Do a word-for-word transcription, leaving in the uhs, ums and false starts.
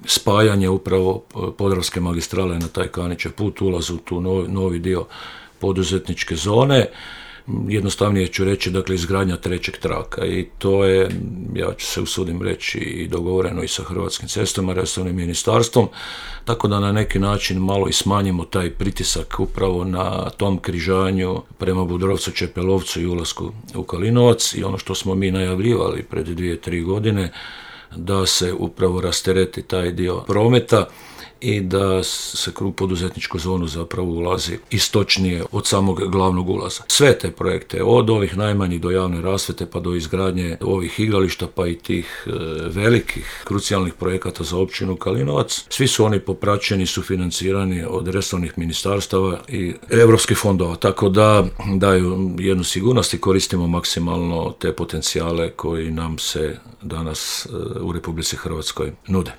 spajanje upravo Podravske magistrale na taj Kanićev put, ulaz u tu novi, novi dio poduzetničke zone. Jednostavnije ću reći, dakle, izgradnja trećeg traka i to je, ja ću se usudim reći, i dogovoreno i sa Hrvatskim cestama, resornim ministarstvom, tako da na neki način malo i smanjimo taj pritisak upravo na tom križanju prema Budrovcu, Čepelovcu i ulasku u Kalinovac, i ono što smo mi najavljivali pred dvije, tri godine, da se upravo rastereti taj dio prometa i da se kroz poduzetničku zonu zapravo ulazi istočnije od samog glavnog ulaza. Sve te projekte, od ovih najmanjih do javne rasvjete pa do izgradnje ovih igrališta pa i tih e, velikih krucijalnih projekata za općinu Kalinovac, svi su oni popraćeni, sufinancirani od resornih ministarstava i europskih fondova, tako da daju jednu sigurnost i koristimo maksimalno te potencijale koji nam se danas e, u Republici Hrvatskoj nude.